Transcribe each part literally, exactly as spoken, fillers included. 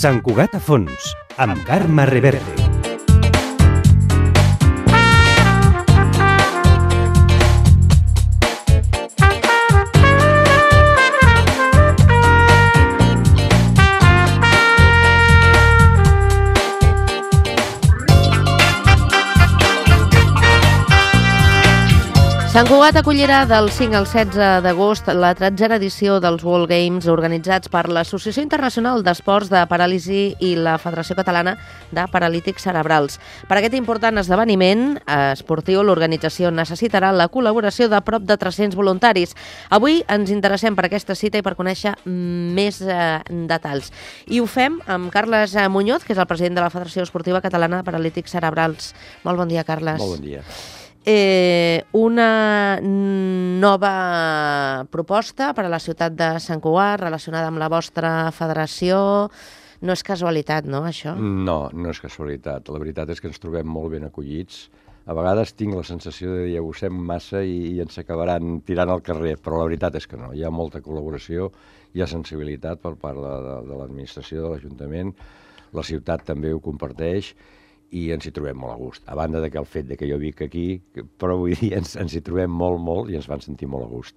Sant Cugat a fons, amb Carme Reverte. Sant Cugat acollirà del cinc al setze d'agost la tretzena edició dels World Games organitzats per l'Associació Internacional d'Esports de Paràlisi i la Federació Catalana de Paralítics Cerebrals. Per aquest important esdeveniment esportiu, l'organització necessitarà la col·laboració de prop de tres-cents voluntaris. Avui ens interessem per aquesta cita i per conèixer més eh, detalls. I ho fem amb Carles Muñoz, que és el president de la Federació Esportiva Catalana de Paralítics Cerebrals. Molt bon dia, Carles. Molt bon dia. Eh, una nova proposta per a la ciutat de Sant Cugat relacionada amb la vostra federació. No és casualitat, no, això? No, no és casualitat. La veritat és que ens trobem molt ben acollits. A vegades tinc la sensació de dir abusem massa i, i ens acabaran tirant al carrer, però la veritat és que no. Hi ha molta col·laboració, hi ha sensibilitat per part de, de, de l'administració, de l'Ajuntament. La ciutat també ho comparteix i ens hi trobem molt a gust. A banda de que el fet de que jo vic aquí, però vull dir, ens, ens hi trobem molt, molt i ens van sentir molt a gust.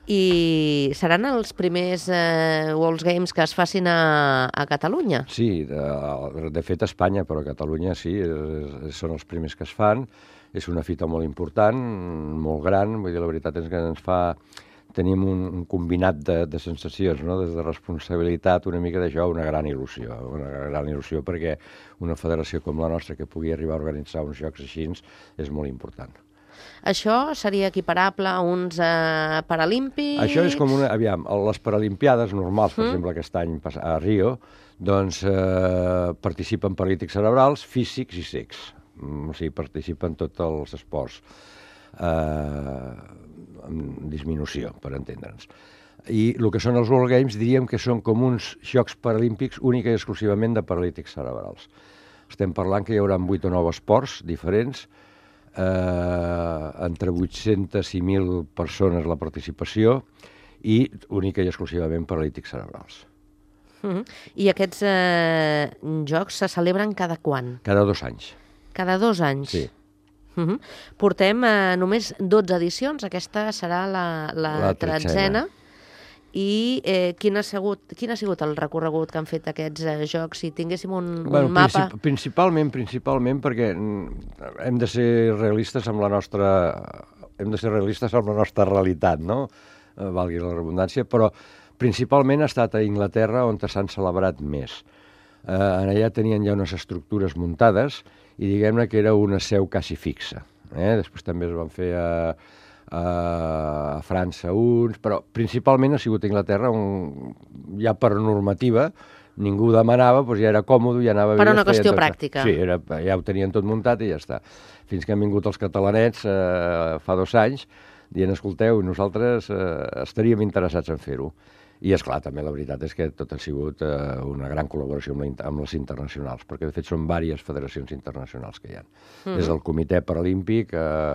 I seran els primers eh, World Games que es facin a, a Catalunya? Sí, de, de fet a Espanya, però a Catalunya sí, és, són els primers que es fan. És una fita molt important, molt gran, vull dir, la veritat és que ens fa... Tenim un, un combinat de, de sensacions, no? Des de responsabilitat, una mica d'això, una gran il·lusió. Una gran il·lusió perquè una federació com la nostra que pugui arribar a organitzar uns jocs així és molt important. Això seria equiparable a uns eh, paralímpics? Això és com una... Aviam, les paralimpiades normals, per mm. exemple, aquest any a Rio, doncs eh, participen paralítics cerebrals, físics i cecs. O sigui, participen tots els esports. Eh... amb disminució, per entendre'ns. I el que són els World Games diríem que són com uns Jocs Paralímpics única i exclusivament de paralítics cerebrals. Estem parlant que hi haurà vuit o nou esports diferents, eh, entre vuit-centes i mil persones la participació i única i exclusivament paralítics cerebrals. Uh-huh. I aquests eh, jocs se celebren cada quan? Cada dos anys. Cada dos anys? Sí. Uh-huh. Portem eh, només dotze edicions, aquesta serà la, la, la tretzena. I eh, quin, ha sigut, quin ha sigut el recorregut que han fet aquests eh, jocs? Si tinguéssim un, bueno, un mapa... Princip principalment, principalment perquè hem de ser realistes amb la nostra... Hem de ser realistes amb la nostra realitat, no? Eh, valgui la redundància, però principalment ha estat a Anglaterra on s'han celebrat més. Eh, en allà tenien ja unes estructures muntades i diguem-ne que era una seu quasi fixa. Eh? Després també es van fer a, a, a França uns, però principalment ha sigut a Anglaterra on ja per normativa ningú demanava, doncs ja era còmode, ja anava... Per una qüestió tot pràctica. Sí, era, ja ho tenien tot muntat i ja està. Fins que han vingut els catalanets eh, fa dos anys dient, escolteu, nosaltres eh, estaríem interessats en fer-ho. I, esclar, també la veritat és que tot ha sigut eh, una gran col·laboració amb, la, amb les internacionals, perquè, de fet, són diverses federacions internacionals que hi ha. Mm-hmm. Des del Comitè Paralímpic, eh,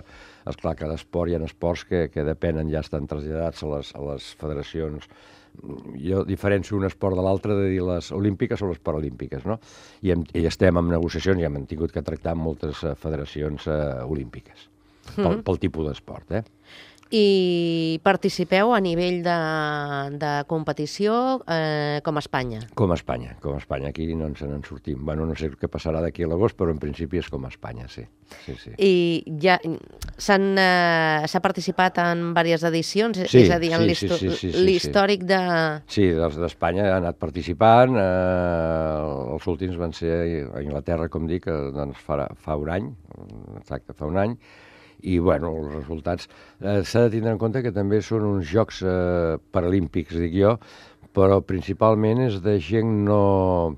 esclar, cada esport, hi ha esports que, que depenen, ja estan traslladats a les, a les federacions. Jo diferencio un esport de l'altre de dir les olímpiques o les paralímpiques, no? I, hem, i estem en negociacions i hem tingut que tractar amb moltes eh, federacions eh, olímpiques, mm-hmm. pel, pel tipus d'esport, eh? I participeu a nivell de, de competició eh, com a Espanya? Com a Espanya, com a Espanya. Aquí no ens en sortim. Bueno, no sé què passarà d'aquí a l'agost, però en principi és com a Espanya, sí. sí, sí. I ja s'han eh, participat en diverses edicions? Sí, és a dir, en sí, sí, sí, sí, sí, l'històric sí. de... Sí, dels d'Espanya han anat participant. Eh, els últims van ser a Anglaterra, com dic, doncs fa, fa un any, exacte, fa un any. I, bueno, els resultats... Eh, s'ha de tindre en compte que també són uns Jocs eh, Paralímpics, dic jo, però principalment és de gent no,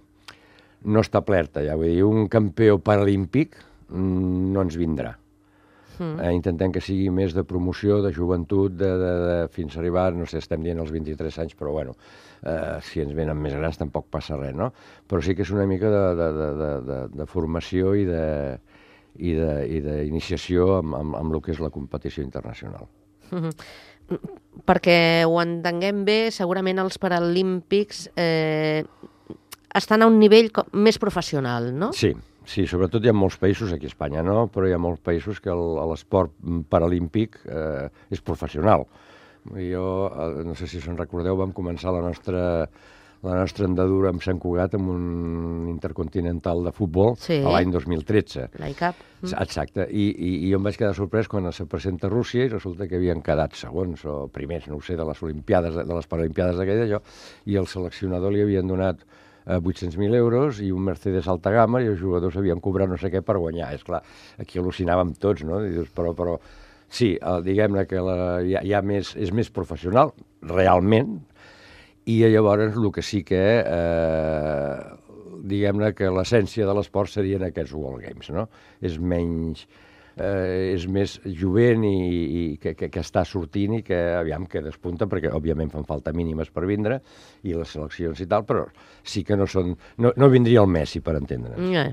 no establerta, ja vull dir, un campió paralímpic mm, no ens vindrà. Mm. Eh, intentem que sigui més de promoció, de joventut, de, de, de, fins a arribar, no sé, estem dient els vint-i-tres anys, però, bueno, eh, si ens venen més grans tampoc passa res, no? Però sí que és una mica de, de, de, de, de, de formació i de... i d'iniciació amb, amb, amb el que és la competició internacional. Uh-huh. Perquè ho entenguem bé, segurament els Paralímpics eh, estan a un nivell més professional, no? Sí, sí, sobretot hi ha molts països, aquí a Espanya no, però hi ha molts països que l'esport paralímpic eh, és professional. Jo, no sé si se'n recordeu, vam començar la nostra, la nostra andadura amb Sant Cugat amb un intercontinental de futbol sí. a l'any dos mil tretze. L'I C A P. Mm. Exacte, I, i, i jo em vaig quedar sorprès quan se presenta Rússia i resulta que havien quedat segons o primers, no ho sé, de les Olimpiades, de les Paralimpiades d'aquella allò, i el seleccionador li havien donat vuit-cents mil euros i un Mercedes alta gamma i els jugadors havien cobrat no sé què per guanyar. És clar, aquí al·lucinàvem tots, no? I dius, però, però sí, diguem-ne que la, hi ha, hi ha més, és més professional, realment, i llavors el que sí que, eh, diguem-ne que l'essència de l'esport serien aquests World Games, no? És menys, eh, és més jovent i, i que, que, que està sortint i que aviam que despunta, perquè òbviament fan falta mínimes per vindre i les seleccions i tal, però sí que no són, no, no vindria el Messi per entendre'ns. Yeah.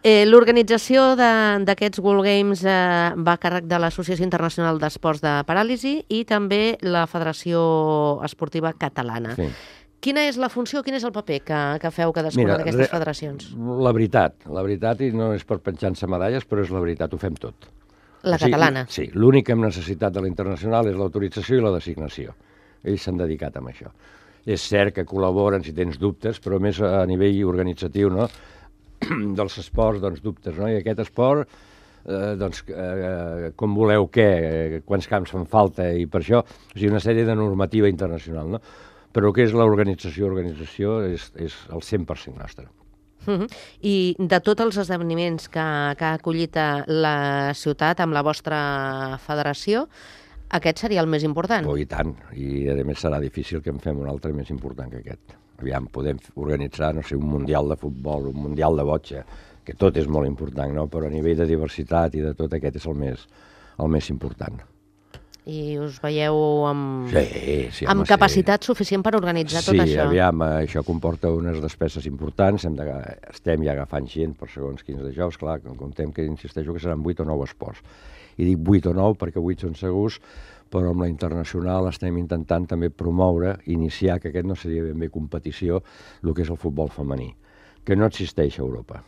Eh, L'organització d'aquests World Games eh, va a càrrec de l'Associació Internacional d'Esports de Paràlisi i també la Federació Esportiva Catalana. Sí. Quina és la funció, quin és el paper que, que feu cadascuna d'aquestes federacions? La veritat, la veritat, i no és per penjar-se medalles, però és la veritat, ho fem tot. La o sigui, catalana? Sí, l'únic que hem necessitat de la internacional és l'autorització i la designació. Ells s'han dedicat a això. És cert que col·laboren si tens dubtes, però més a nivell organitzatiu, no?, dels esports, doncs, dubtes, no? I aquest esport, eh, doncs, eh, com voleu què, quants camps fan falta, i per això, o sigui, una sèrie de normativa internacional, no? Però el que és l'organització, organització és, és el cent per cent nostre. Uh-huh. I de tots els esdeveniments que, que ha acollit la ciutat amb la vostra federació, aquest seria el més important? Oh, i tant, i a més serà difícil que en fem un altre més important que aquest. Aviam, podem organitzar, no sé, un mundial de futbol, un mundial de botxa, que tot és molt important, no? Però a nivell de diversitat i de tot aquest és el més, el més important. I us veieu amb, sí, sí, amb home, capacitat sí. suficient per organitzar sí, tot això? Sí, aviam, això comporta unes despeses importants, hem de, estem ja agafant gent per segons quins de jocs, clar, comptem que insisteixo que seran vuit o nou esports. I dic vuit o nou perquè vuit són segurs, però amb la internacional estem intentant també promoure, iniciar, que aquest no seria ben bé competició, el que és el futbol femení, que no existeix a Europa.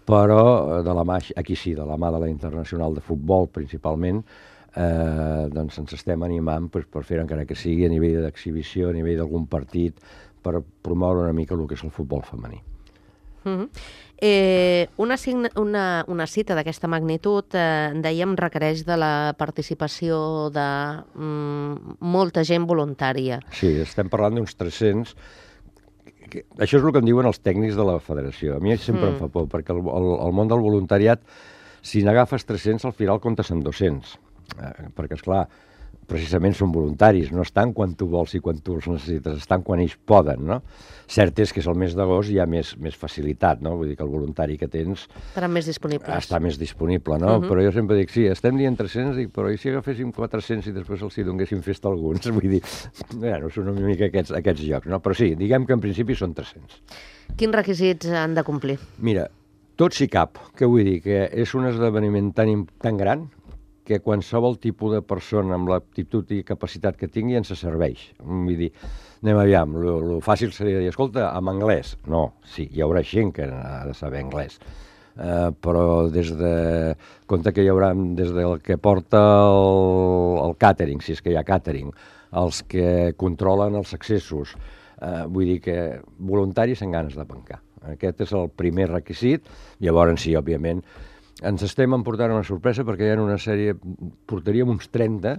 Però de la mà, aquí sí, de la mà de la internacional de futbol principalment, eh, doncs ens estem animant pues, per fer encara que sigui a nivell d'exhibició, a nivell d'algun partit, per promoure una mica el que és el futbol femení. Uh-huh. Eh, una, signa, una, una cita d'aquesta magnitud, eh, dèiem, requereix de la participació de mm, molta gent voluntària. Sí, estem parlant d'uns tres-cents. Que, això és el que em diuen els tècnics de la federació. A mi sempre mm. em fa por, perquè el, el, el món del voluntariat, si n'agafes tres-cents, al final comptes amb dos-cents. Eh, perquè, esclar, precisament són voluntaris, no estan quan tu vols i quan tu els necessites, estan quan ells poden, no? Cert és que és el mes d'agost hi ha més, més facilitat, no? Vull dir que el voluntari que tens... Estarà més disponible. Està més disponible, no? Uh-huh. Però jo sempre dic, sí, estem dient tres-cents, dic, però i si agaféssim quatre-cents i després els hi donéssim festa a alguns? Vull dir, bueno, són una mica aquests, aquests jocs, no? Però sí, diguem que en principi són tres-cents. Quins requisits han de complir? Mira, tot si cap, què vull dir? Que és un esdeveniment tan, tan gran que qualsevol tipus de persona amb l'aptitud i capacitat que tingui ens serveix. Vull dir, anem aviam, el fàcil seria dir, escolta, en anglès. No, sí, hi haurà gent que ha de saber anglès. Uh, però des de... Compte que hi haurà des del que porta el, el càtering, si és que hi ha càtering, els que controlen els accessos, uh, vull dir que voluntaris amb ganes de pencar. Aquest és el primer requisit. Llavors, sí, òbviament, ens estem emportant una sorpresa perquè hi ha una sèrie, portaríem uns trenta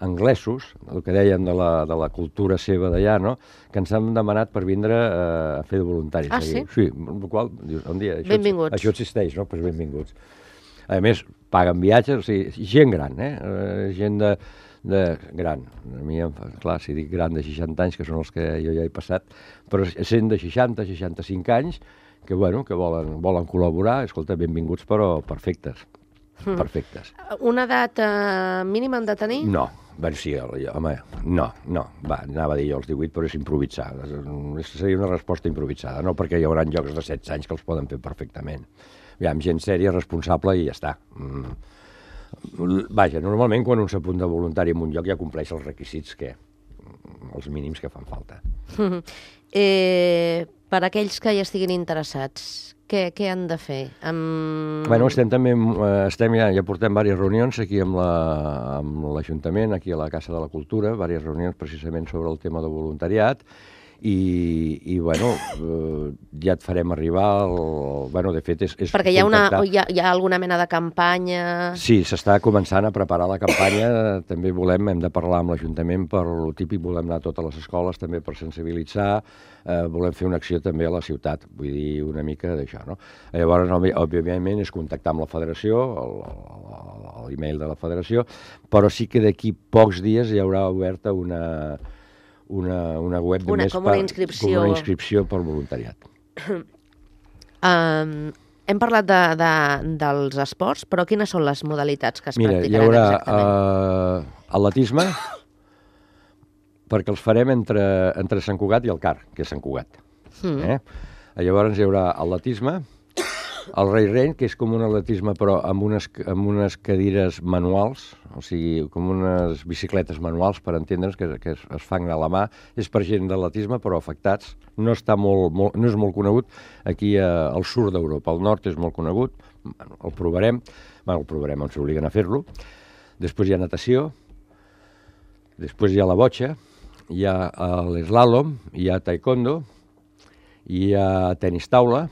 anglesos, el que dèiem de la, de la cultura seva d'allà, no?, que ens han demanat per vindre eh, a fer de voluntaris. Ah, sí? Sí, el qual, dius, un dia, això, benvinguts. Això existeix, no? Pues benvinguts. A més, paguen viatges, o sigui, gent gran, eh? Uh, gent de, de gran. A mi, clar, si dic gran de seixanta anys, que són els que jo ja he passat, però gent de seixanta, seixanta-cinc anys, que, bueno, que volen, volen col·laborar, escolta, benvinguts, però perfectes, mm. perfectes. Una edat eh, mínima han de tenir? No, bueno, sí, home, no, no, va, anava a dir jo els divuit, però és improvisar, seria una resposta improvisada, no perquè hi haurà jocs de setze anys que els poden fer perfectament. Aviam, gent sèria, responsable i ja està. Mm. Vaja, normalment quan un s'apunta voluntari en un lloc ja compleix els requisits que, els mínims que fan falta. eh, per aquells que hi estiguin interessats, què, què han de fer? Amb... Bueno, estem també, estem ja, ja portem diverses reunions aquí amb l'Ajuntament, aquí a la Casa de la Cultura, diverses reunions precisament sobre el tema del voluntariat, i, i bueno, eh, ja et farem arribar, el, bueno, de fet és, és perquè hi ha, una, hi, ha, hi ha alguna mena de campanya... Sí, s'està començant a preparar la campanya, també volem, hem de parlar amb l'Ajuntament per lo típic, volem anar a totes les escoles també per sensibilitzar, eh, volem fer una acció també a la ciutat, vull dir una mica d'això, no? Llavors, òbviament, és contactar amb la federació, l'e-mail de la federació, però sí que d'aquí pocs dies hi haurà oberta una... Una, una web una, només com una per, inscripció. com una inscripció per voluntariat. um, hem parlat de, de, dels esports, però quines són les modalitats que es Mira, practicaran hi haurà, exactament? Uh, atletisme, perquè els farem entre, entre Sant Cugat i el Car, que és Sant Cugat. Mm. Eh? Llavors hi haurà atletisme, el Rei Reny, que és com un atletisme però amb unes, amb unes cadires manuals, o sigui, com unes bicicletes manuals, per entendre'ns, que, que es, es fan a la mà. És per gent d'atletisme, però afectats. No, està molt, molt, no és molt conegut aquí a, al sud d'Europa. Al nord és molt conegut, bueno, el provarem, bueno, el provarem, ens obliguen a fer-lo. Després hi ha natació, després hi ha la botxa, hi ha l'eslàlom, hi ha taekwondo, hi ha tenis taula,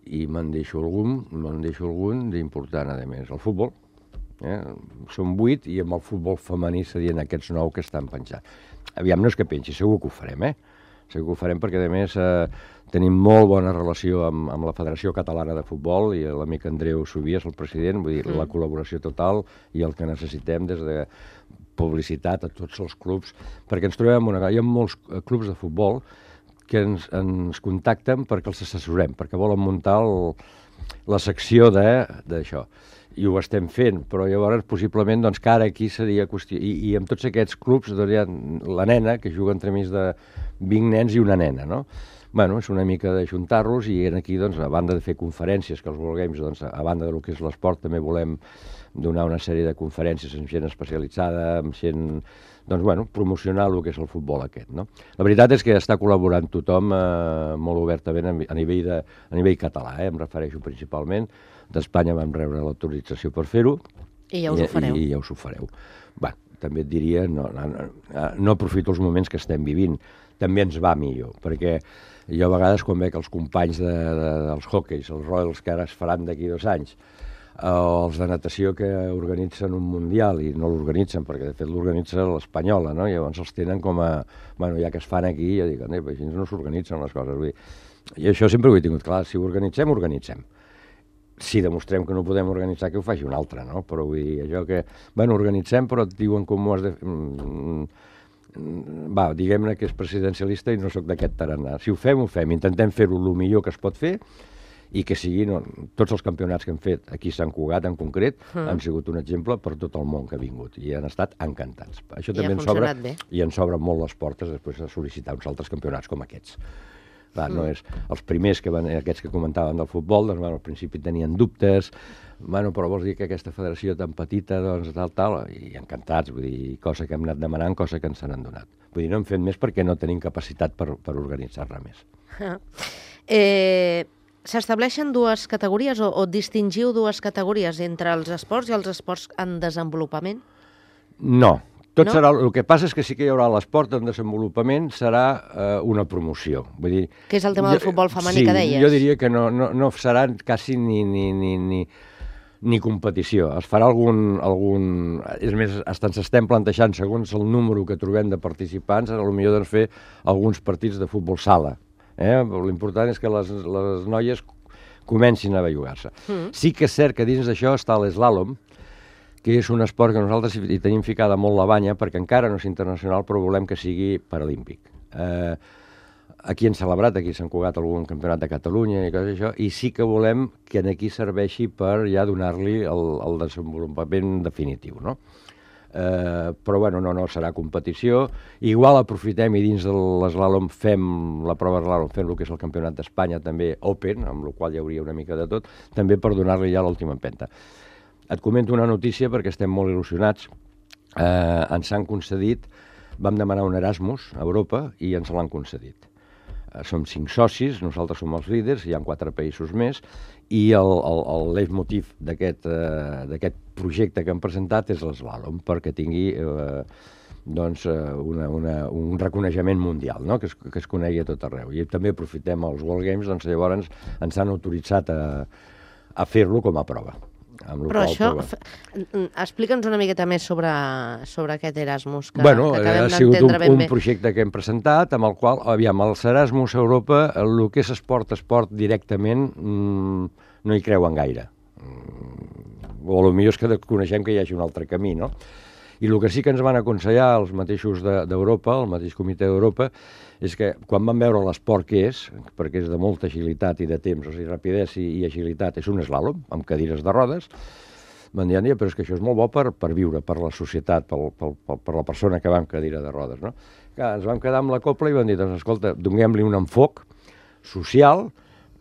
i me'n deixo algun, me'n deixo algun d'important, a més, el futbol. Eh? Són vuit i amb el futbol femení serien aquests nou que estan penjant. Aviam, no és que pengi, segur que ho farem, eh? Segur que ho farem perquè, a més, eh, tenim molt bona relació amb, amb la Federació Catalana de Futbol i l'amic Andreu Subies, el president, vull dir, mm. la col·laboració total i el que necessitem des de publicitat a tots els clubs, perquè ens trobem una... Hi ha molts clubs de futbol que ens, ens contacten perquè els assessorem, perquè volen muntar el, la secció d'això. I ho estem fent, però llavors possiblement doncs, que ara aquí seria qüestió... I, i amb tots aquests clubs doncs, hi ha la nena, que juga entremig de vint nens i una nena, no? Bueno, és una mica d'ajuntar-los i aquí, doncs, a banda de fer conferències, que els World Games, doncs, a banda del que és l'esport, també volem donar una sèrie de conferències amb gent especialitzada, amb gent... doncs, bueno, promocionar el que és el futbol aquest, no? La veritat és que està col·laborant tothom eh, molt obertament a nivell, de, a nivell català, eh? Em refereixo principalment. D'Espanya vam rebre l'autorització per fer-ho. I ja us ho fareu. I, i ja us ho fareu. Bé, també et diria, no, no, no, no aprofito els moments que estem vivint, també ens va millor, perquè jo a vegades quan veig els companys de, de, dels hockeys, els Royals, que ara es faran d'aquí dos anys, els de natació que organitzen un mundial i no l'organitzen, perquè de fet l'organitza l'espanyola, no? I llavors els tenen com a... Bueno, ja que es fan aquí, jo dic, eh, així no s'organitzen les coses. Vull dir, i això sempre ho he tingut clar, si ho organitzem, organitzem. Si demostrem que no podem organitzar, que ho faci un altre, no? Però vull dir, allò que... Bueno, organitzem, però et diuen com ho has de... Va, diguem-ne que és presidencialista i no sóc d'aquest tarannà. Si ho fem, ho fem. Intentem fer-ho el millor que es pot fer i que siguin, no, tots els campionats que hem fet aquí a Sant Cugat en concret mm. han sigut un exemple per tot el món que ha vingut i han estat encantats. Això I també ha ens sobra, bé. I ens sobren molt les portes després de sol·licitar uns altres campionats com aquests. Clar, mm. no és, els primers, que van, aquests que comentaven del futbol, doncs, bueno, al principi tenien dubtes, bueno, però vols dir que aquesta federació tan petita, doncs, tal, tal, i encantats, vull dir, cosa que hem anat demanant, cosa que ens han donat. Vull dir, no hem fet més perquè no tenim capacitat per, per organitzar-la més. Ah. Eh... S'estableixen dues categories o, o distingiu dues categories entre els esports i els esports en desenvolupament? No. Tot no? serà, el que passa és que sí que hi haurà l'esport en desenvolupament, serà eh, una promoció. Vull dir, que és el tema jo, del futbol femení sí, que deies. Jo diria que no, no, no serà quasi ni, ni, ni, ni, ni competició. Es farà algun... algun és més, ens estem plantejant, segons el número que trobem de participants, a lo millor doncs, fer alguns partits de futbol sala. Eh? L'important és que les, les noies comencin a bellugar-se. Mm. Sí que és cert que dins d'això està l'eslàlom, que és un esport que nosaltres hi tenim ficada molt la banya, perquè encara no és internacional, però volem que sigui paralímpic. Eh, aquí hem celebrat, aquí s'han cugat algun campionat de Catalunya i coses això, i sí que volem que aquí serveixi per ja donar-li el, el desenvolupament definitiu, no? Eh, però bueno, no, no serà competició. Igual aprofitem i dins de l'eslàlom fem la prova d'eslàlom, fem el que és el campionat d'Espanya també Open, amb el qual hi hauria una mica de tot, també per donar-li ja l'última empenta. Et comento una notícia perquè estem molt il·lusionats. Eh, ens han concedit, vam demanar un Erasmus a Europa i ens l'han concedit. Eh, som cinc socis, nosaltres som els líders, hi ha quatre països més, i el, el, el leitmotiv d'aquest eh, d'aquest projecte que hem presentat és l'eslàlom, perquè tingui eh, doncs, una, una, un reconeixement mundial, no? que, es, que es conegui a tot arreu. I també aprofitem els World Games, doncs llavors ens han autoritzat a, a fer-lo com a prova. Però això, explica'ns una miqueta més sobre, sobre aquest Erasmus, que, bueno, que acabem ha sigut un, d'entendre ben un bé. projecte que hem presentat, amb el qual, aviam, els Erasmus a Europa, el que és esport, esport directament, mmm, no hi creuen gaire. Mm, o potser és que coneixem que hi hagi un altre camí, no? I el que sí que ens van aconsellar els mateixos d'Europa, el mateix comitè d'Europa, és que quan van veure l'esport que és, perquè és de molta agilitat i de temps, o sigui, rapidesa i, i agilitat, és un eslàlom, amb cadires de rodes, van dir, però és que això és molt bo per, per viure, per la societat, per, per, per, per la persona que va amb cadira de rodes, no? Clar, ens vam quedar amb la copla i van dir, doncs, escolta, donem-li un enfoc social,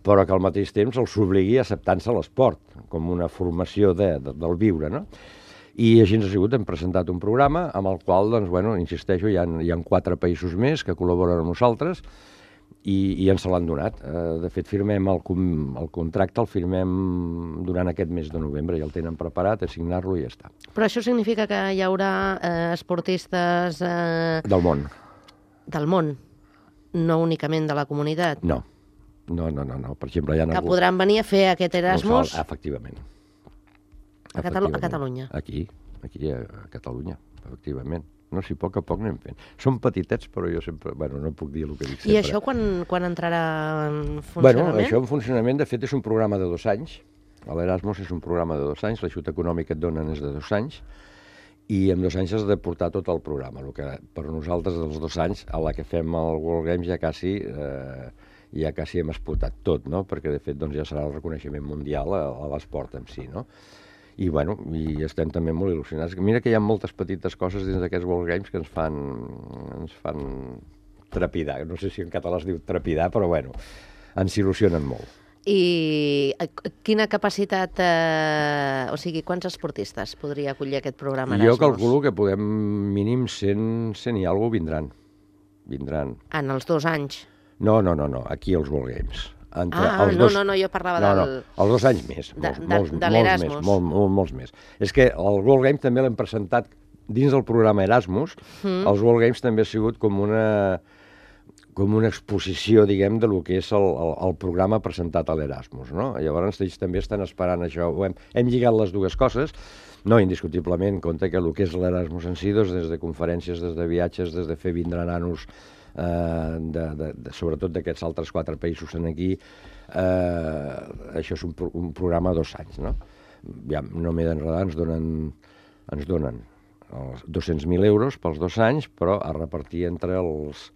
però que al mateix temps els obligui a acceptar-se l'esport, com una formació de, de, del viure, no? I així ens ha sigut, hem presentat un programa amb el qual, doncs, bueno, insisteixo, hi ha, hi ha quatre països més que col·laboren amb nosaltres i, i ens se l'han donat. Eh, de fet, firmem el, el contracte, el firmem durant aquest mes de novembre, ja el tenen preparat, a signar-lo i ja està. Però això significa que hi haurà eh, esportistes... Eh, del món. Del món, no únicament de la comunitat. No, no, no, no. no. Per exemple, hi ha... Que algú... podran venir a fer aquest Erasmus... No, efectivament. A, Catalu a Catalunya. Aquí, aquí a, a Catalunya, efectivament. No, si a poc a poc anem fent. Som petitets, però jo sempre... Bueno, no puc dir el que dic sempre. I això quan, quan entrarà en funcionament? Bueno, això en funcionament, de fet, és un programa de dos anys. L'Erasmus és un programa de dos anys, l'ajut econòmic que et donen és de dos anys, i en dos anys has de portar tot el programa. El que per nosaltres, dels dos anys, a la que fem el World Games ja quasi... Eh, ja quasi hem explotat tot, no? Perquè, de fet, doncs, ja serà el reconeixement mundial a, a l'esport en si, no? I, bueno, i estem també molt il·lusionats. Mira que hi ha moltes petites coses dins d'aquests World Games que ens fan, ens fan trepidar. No sé si en català es diu trepidar, però, bueno, ens il·lusionen molt. I quina capacitat, eh, o sigui, quants esportistes podria acollir aquest programa Erasmus? Jo calculo que podem mínim cent, cent i alguna vindran. Vindran. En els dos anys? No, no, no, no, aquí als World Games. Entre ah, els no, dos... no, no, jo parlava no, del... No, els dos anys més, de, molts, de, molts, de molts més, molt, molt, molts més. És que el World Games també l'hem presentat dins del programa Erasmus, mm. els World Games també ha sigut com una, com una exposició, diguem, de lo que és el, el, el programa presentat a l'Erasmus, no? Llavors ells també estan esperant això. Hem, hem lligat les dues coses, no indiscutiblement, en compte que el que és l'Erasmus en si, doncs, des de conferències, des de viatges, des de fer vindre nanos, Uh, de, de, de, sobretot d'aquests altres quatre països en aquí, uh, això és un, pro un programa a dos anys, no? Ja no m'he d'enredar, ens donen, ens donen dos-cents mil euros pels dos anys, però a repartir entre els,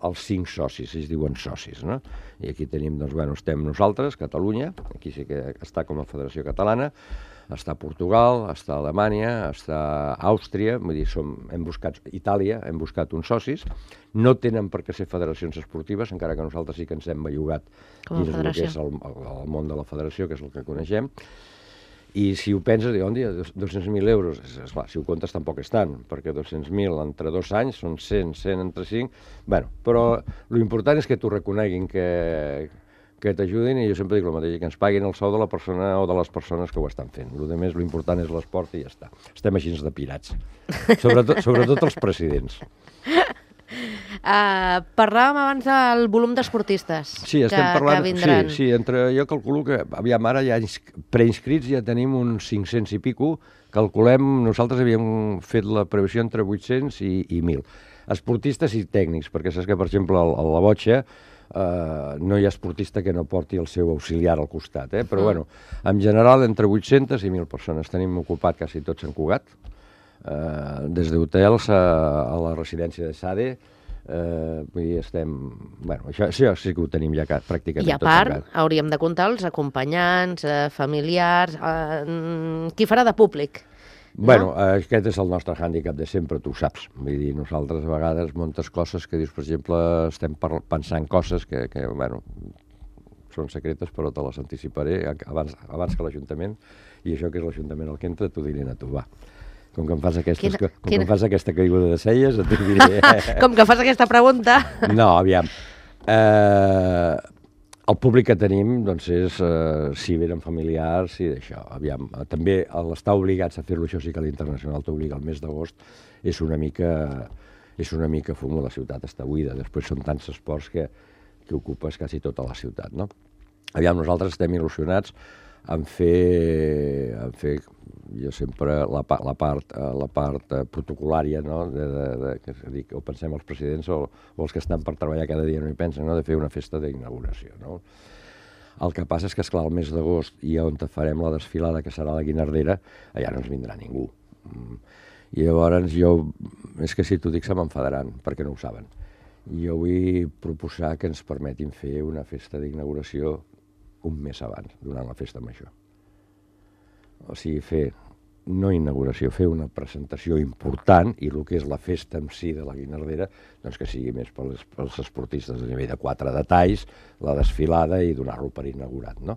els cinc socis, ells diuen socis, no? I aquí tenim, doncs, bueno, estem nosaltres, Catalunya, aquí sí que està com a Federació Catalana, està Portugal, està Alemanya, està Àustria, vull dir, som, hem buscat Itàlia, hem buscat uns socis, no tenen per què ser federacions esportives, encara que nosaltres sí que ens hem bellugat dins el que és el, el, el món de la federació, que és el que coneixem, i si ho penses, diu, on dia, dos-cents mil euros, és, és clar, si ho comptes tampoc és tant, perquè dos-cents mil entre dos anys són cent, cent entre cinc, bueno, però l'important és que t'ho reconeguin, que... que t'ajudin, i jo sempre dic el mateix, que ens paguin el sou de la persona o de les persones que ho estan fent. El que més, l'important és l'esport i ja està. Estem així de pirats. Sobretot, sobretot els presidents. Uh, parlàvem abans del volum d'esportistes sí, que, parlant, que vindran. Sí, sí, entre, jo calculo que, aviam, ara ja preinscrits ja tenim uns cinc-cents i pico, calculem, nosaltres havíem fet la previsió entre vuit-cents i, i mil. Esportistes i tècnics, perquè saps que, per exemple, a la botxa, Uh, no hi ha esportista que no porti el seu auxiliar al costat, eh? Però, mm. bueno, en general, entre vuit-centes i mil persones. Tenim ocupat quasi tot Sant Cugat, uh, des d'hotels a, a la residència de Sade, uh, vull dir, estem... Bueno, això, això sí que ho tenim ja pràcticament tot. I a part, hauríem de comptar els acompanyants, eh, familiars, eh, qui farà de públic? Bueno, no? Aquest és el nostre hàndicap de sempre, tu ho saps. Vull dir, nosaltres a vegades moltes coses que dius, per exemple, estem pensant coses que, que bueno, són secretes, però te les anticiparé abans, abans que l'Ajuntament, i això que és l'Ajuntament el que entra, t'ho diré a tu, va. Com que em fas, aquestes, Quina, com quina... que em fas aquesta caiguda de celles, et diré... Com que fas aquesta pregunta... No, aviam. Eh, el públic que tenim, doncs, és eh, si venen familiars i d'això. Aviam, també l'estar obligats a fer-lo, això sí que l'Internacional t'obliga al mes d'agost, és una mica... és una mica fum, la ciutat està buida. Després són tants esports que, que ocupes quasi tota la ciutat, no? Aviam, nosaltres estem il·lusionats en fer, en fer jo sempre, la, la part, la part protocolària, no? De, de, de, que dic, o pensem els presidents o, o els que estan per treballar cada dia no hi pensen, no? De fer una festa d'inauguració, no? El que passa és que, esclar, el mes d'agost i on farem la desfilada, que serà la Guinardera, allà no ens vindrà ningú. I llavors jo, és que si t'ho dic se m'enfadaran, perquè no ho saben. Jo vull proposar que ens permetin fer una festa d'inauguració un mes abans, durant la festa major. O sigui, fer, no inauguració, fer una presentació important, i el que és la festa en si de la Guinardera, doncs que sigui més pels, pels esportistes a nivell de quatre detalls, la desfilada i donar-lo per inaugurat, no?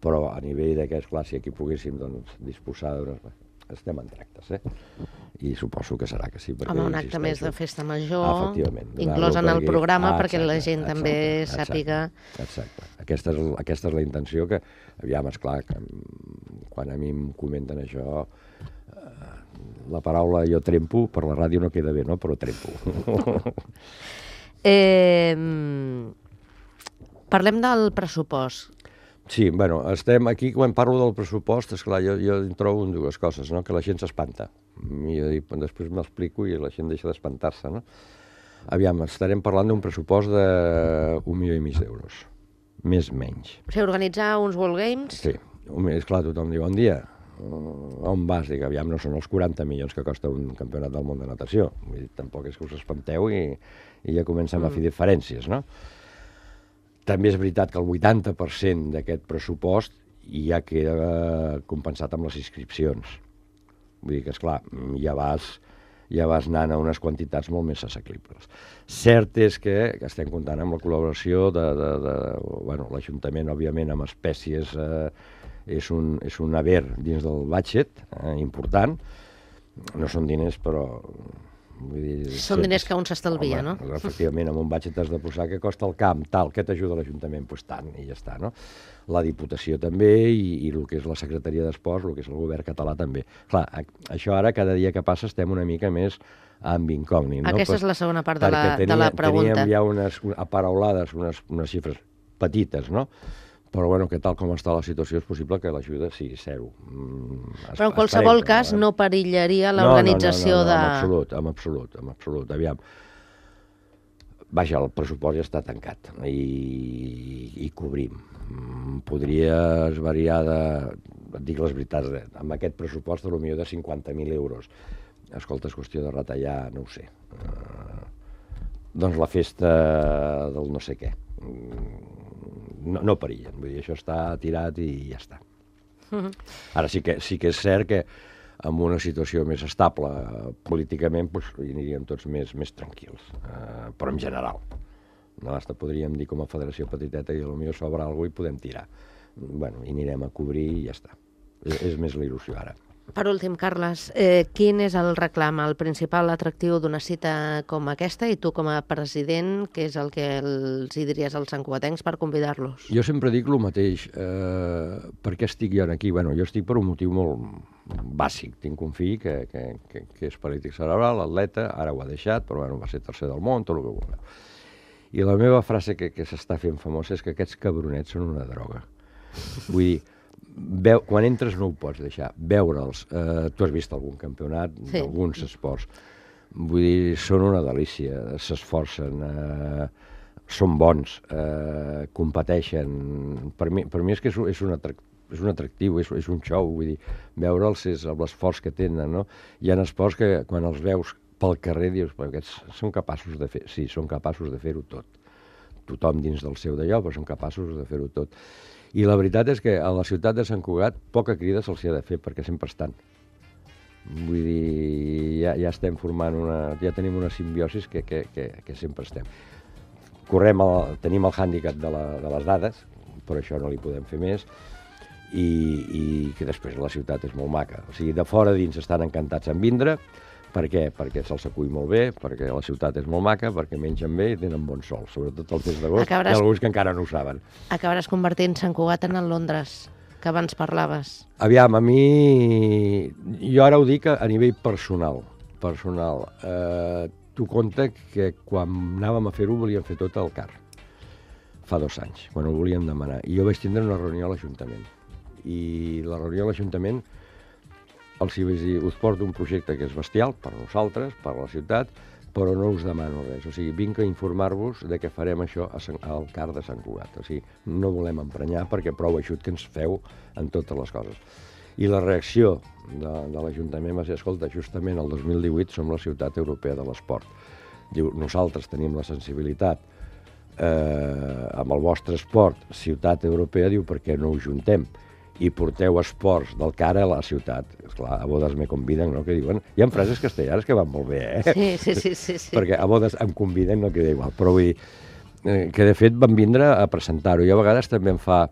Però a nivell d'aquest, clar, si aquí poguéssim doncs, disposar d'unes... Estem en tractes, eh? I suposo que serà que sí. Home, un acte més de festa major, ah, inclòs en el perquè... programa, ah, exacte, perquè la gent exacte, també exacte, sàpiga... Exacte. Aquesta és, aquesta és la intenció que, aviam, esclar, que quan a mi em comenten això, eh, la paraula jo trempo, per la ràdio no queda bé, no? Però trempo. eh, parlem del pressupost. Sí, bueno, estem aquí, quan parlo del pressupost, esclar, jo, jo en trobo dues coses, no? Que la gent s'espanta. I jo dic, després m'explico i la gent deixa d'espantar-se, no? Aviam, estarem parlant d'un pressupost d'un milió i mig d'euros. Més menys. O sigui, organitzar uns World Games... Sí, esclar, tothom diu, bon dia, on vas? Dic, aviam, no són els quaranta milions que costa un campionat del món de natació. Vull dir, tampoc és que us espanteu i, i ja comencem mm. a fer diferències, no? També és veritat que el vuitanta per cent d'aquest pressupost ja queda compensat amb les inscripcions. Vull dir que, esclar, ja vas, ja vas anant a unes quantitats molt més assequibles. Cert és que estem comptant amb la col·laboració de, de, de bueno, l'Ajuntament, òbviament, amb espècies, eh, és, un, és un haver dins del budget, eh, important. No són diners, però... Vull dir, són diners que un s'estalvia, no? Efectivament, amb un budget has de posar que costa el camp, tal, què t'ajuda l'Ajuntament? Doncs pues tant, i ja està, no? La Diputació també, i, i el que és la Secretaria d'Esports, el que és el govern català també. Clar, això ara, cada dia que passa, estem una mica més amb incògnit, no? Aquesta pues, és la segona part de la, tenia, de la pregunta. Teníem ja unes aparaulades, unes, unes xifres petites, no? Però, bueno, que tal com està la situació, és possible que l'ajuda sigui zero. Mm, Però en qualsevol esperem, cas no perillaria l'organització no, no, no, no, de... No, en absolut, en absolut, en absolut. Aviam, vaja, el pressupost ja està tancat i, i cobrim. Podries variar de... Et dic les veritats, amb aquest pressupost de potser de cinquanta mil euros. Escolta, és qüestió de retallar, no ho sé. Uh, doncs la festa del no sé què. No, no perillen, vull dir, això està tirat i ja està. Ara sí que, sí que és cert que en una situació més estable políticament doncs, hi aniríem tots més, més tranquils, eh, però en general. No, hasta podríem dir com a federació petiteta i potser sobra alguna cosa i podem tirar. Bueno, i anirem a cobrir i ja està. És, és més la il·lusió ara. Per últim, Carles, eh, quin és el reclam, el principal atractiu d'una cita com aquesta, i tu com a president, què és el que els hi diries als santcugatencs per convidar-los? Jo sempre dic el mateix. Eh, per què estic jo aquí? Bueno, jo estic per un motiu molt bàsic. Tinc un fill que, que, que, que és paralític cerebral, atleta, ara ho ha deixat, però bueno, va ser tercer del món, tot el que vulgueu. I la meva frase que, que s'està fent famosa és que aquests cabronets són una droga. Vull dir, Veu, quan entres no ho pots deixar, veure'ls, eh, tu has vist algun campionat, sí. Alguns esports, vull dir, són una delícia, s'esforcen, eh, són bons, eh, competeixen, per mi, per mi és que és, és, un, atrac, és un atractiu, és, és un show, vull dir, veure'ls és l'esforç que tenen, no? Hi ha esports que quan els veus pel carrer dius, aquests són capaços de fer, sí, són capaços de fer-ho tot, tothom dins del seu d'allò, però són capaços de fer-ho tot. I la veritat és que a la ciutat de Sant Cugat poca crida se'ls ha de fer, perquè sempre estan. Vull dir, ja, ja estem formant una... ja tenim una simbiosis que, que, que, que sempre estem. Correm el, tenim el hàndicap de, la, de les dades, però això no li podem fer més, i, i que després la ciutat és molt maca. O sigui, de fora a dins estan encantats en vindre. Per què? Perquè se'ls acull molt bé, perquè la ciutat és molt maca, perquè mengen bé i tenen bon sol, sobretot el mes d'agost. Acabaràs... Hi ha alguns que encara no ho saben. Acabaràs convertint Sant Cugat en el Londres, que abans parlaves. Aviam, a mi... Jo ara ho dic a nivell personal. personal. Eh, tu compte que quan anàvem a fer-ho volíem fer tot al C A R. Fa dos anys, quan ho volíem demanar. I jo vaig tindre una reunió a l'Ajuntament. I la reunió a l'Ajuntament els hi vaig dir, us porto un projecte que és bestial per nosaltres, per la ciutat, però no us demano res. O sigui, vinc a informar-vos de que farem això al C A R de Sant Cugat. O sigui, no volem emprenyar perquè prou eixut que ens feu en totes les coses. I la reacció de, de l'Ajuntament va ser, escolta, justament el dos mil divuit som la ciutat europea de l'esport. Diu, nosaltres tenim la sensibilitat eh, amb el vostre esport, ciutat europea, diu, per què no ho juntem? I porteu esports del C A R a la ciutat. Esclar, a bodes me conviden, no? Que diuen... Hi ha frases castellanes que van molt bé, eh? Sí, sí, sí, sí, sí. Perquè a bodes em conviden, no queda igual. Però vull dir, eh, que de fet van vindre a presentar-ho. I a vegades també em fa...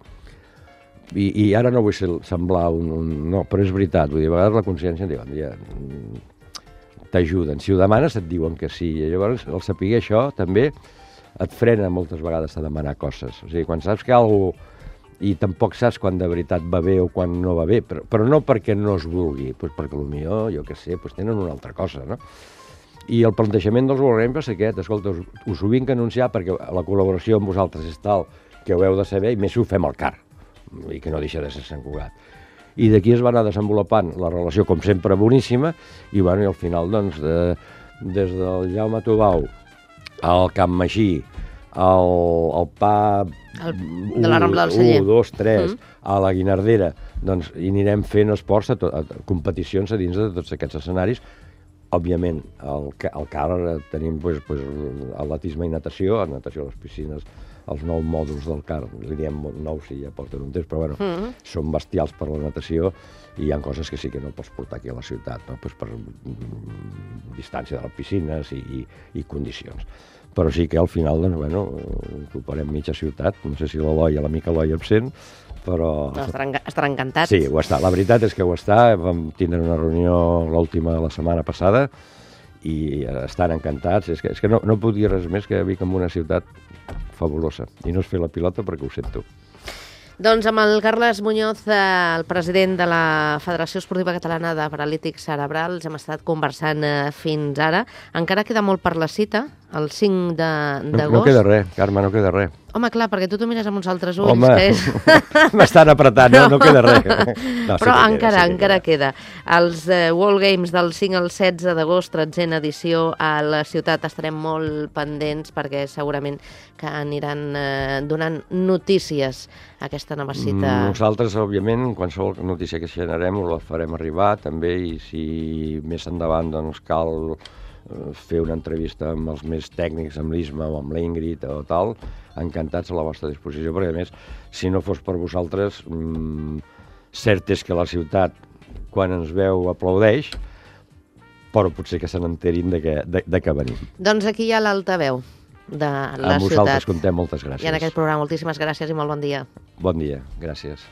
I, i ara no vull ser, semblar un, un... No, però és veritat. Vull dir, a vegades la consciència em diu, ja, t'ajuden. Si ho demanes et diuen que sí. I llavors el saber això també et frena moltes vegades a demanar coses. O sigui, quan saps que algú... i tampoc saps quan de veritat va bé o quan no va bé, però, però no perquè no es vulgui, doncs perquè potser, jo què sé, doncs tenen una altra cosa, no? I el plantejament dels World Games va ser aquest, escolta, us, us ho vinc a anunciar perquè la col·laboració amb vosaltres és tal que ho heu de saber, i més si ho fem al C A R, i que no deixa de ser Sant Cugat. I d'aquí es va anar desenvolupant la relació, com sempre, boníssima, i, bueno, i al final, doncs, de, des del Jaume Tubau al Camp Magí, el, el pa... El, de la Rambla del Celler. un, dos, tres, mm. a la Guinardera, doncs hi anirem fent esports, a to, a, competicions a dins de tots aquests escenaris. Òbviament, al, al C A R tenim pues, pues, atletisme i natació, a natació a les piscines, els nou mòduls del C A R, li diem nous si ja porten un temps, però bueno, mm. són bestials per la natació i hi ha coses que sí que no pots portar aquí a la ciutat, no? Pues per mm, distància de les piscines i, i, i condicions. Però sí que al final, doncs, bueno, ocuparem mitja ciutat. No sé si l'Eloi, l'amic Eloi absent, però... No, estaran, estaran encantats. Sí, ho està. La veritat és que ho està. Vam tindre una reunió l'última la setmana passada i estan encantats. És que, és que no, no puc dir res més que Vic en una ciutat fabulosa. I no és fer la pilota perquè ho sento. Doncs amb el Carles Muñoz, el president de la Federació Esportiva Catalana de Paralítics Cerebrals, hem estat conversant fins ara. Encara queda molt per la cita, el cinc d'agost. No, no queda res, Carme, no queda res. Home, clar, perquè tu t'ho mires amb uns altres ulls. Home, que és... m'estan apretant, no, no queda res. No, Però sí encara, queda, sí encara queda. queda. Els uh, World Games del cinc al setze d'agost, tretzena edició a la ciutat, estarem molt pendents perquè segurament que aniran uh, donant notícies a aquesta nova cita. Nosaltres, òbviament, qualsevol notícia que generem us la farem arribar també, i si més endavant doncs, cal fer una entrevista amb els més tècnics, amb l'Isma o amb l'Ingrid o tal, encantats a la vostra disposició, perquè a més, si no fos per vosaltres, mmm, cert és que la ciutat, quan ens veu, aplaudeix, però potser que se n'enterin de, que, de, de que venim. Doncs aquí hi ha l'altaveu de la ciutat. Amb vosaltres contem, moltes gràcies. I en aquest programa, moltíssimes gràcies i molt bon dia. Bon dia, gràcies.